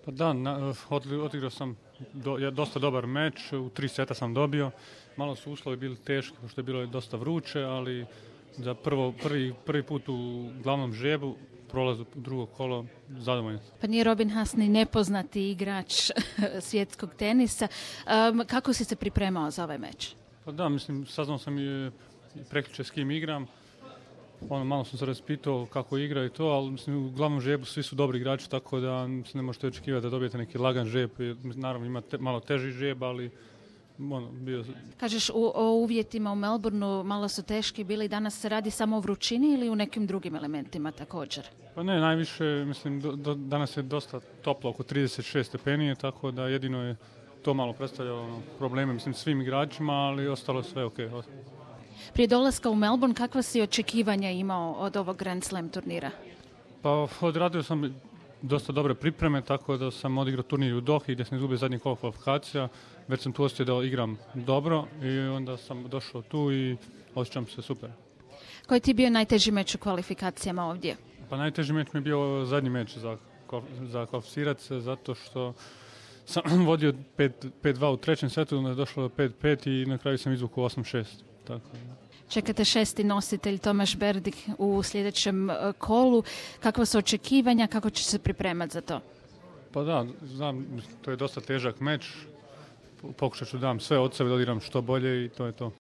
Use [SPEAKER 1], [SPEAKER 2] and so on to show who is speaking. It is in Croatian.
[SPEAKER 1] Pa da, odigrao sam dosta dobar meč, u 3 seta sam dobio. Malo su uslovi bili teški, pošto je bilo dosta vruće, ali za prvi put u glavnom žrebu prolaz u drugo kolo zadovoljno.
[SPEAKER 2] Pa nije Robin Haas ni nepoznati igrač svjetskog tenisa. Kako si se pripremao za ovaj meč?
[SPEAKER 1] Pa da, mislim, saznao sam i prekjučer s kim igram. Malo sam se raspitao kako igra i to, ali mislim, u glavnom žrebu svi su dobri igrači, tako da ne možete očekivati da dobijete neki lagan žreb. Naravno ima malo teži žreb, ali bio...
[SPEAKER 2] Kažeš, o uvjetima u Melbourneu malo su teški bili. Danas se radi samo o vrućini ili u nekim drugim elementima također?
[SPEAKER 1] Pa ne, najviše, mislim, danas je dosta toplo, oko 36 stepeni, tako da jedino je to malo predstavljalo probleme, mislim, svim igračima, ali ostalo sve ok.
[SPEAKER 2] Prije dolaska u Melbourne, kakva si očekivanja imao od ovog Grand Slam turnira?
[SPEAKER 1] Pa odradio sam dosta dobre pripreme, tako da sam odigrao turnir u Dohi gdje sam izgubio zadnji kolo kvalifikacija. Već sam tu osjetio da igram dobro i onda sam došao tu i osjećam se super.
[SPEAKER 2] Koji ti je bio najteži meč u kvalifikacijama ovdje?
[SPEAKER 1] Pa najteži meč mi je bio zadnji meč za kvalificirati se, zato što sam vodio 5-2 u trećem setu, onda je došlo do 5-5 i na kraju sam izvukao 8-6. Tako.
[SPEAKER 2] Čekate 6. nositelj Tomaš Berdych u sljedećem kolu. Kakva su očekivanja, kako će se pripremati za to?
[SPEAKER 1] Pa da, znam, to je dosta težak meč. Pokušat ću dam sve od sebe da odigram što bolje i to je to.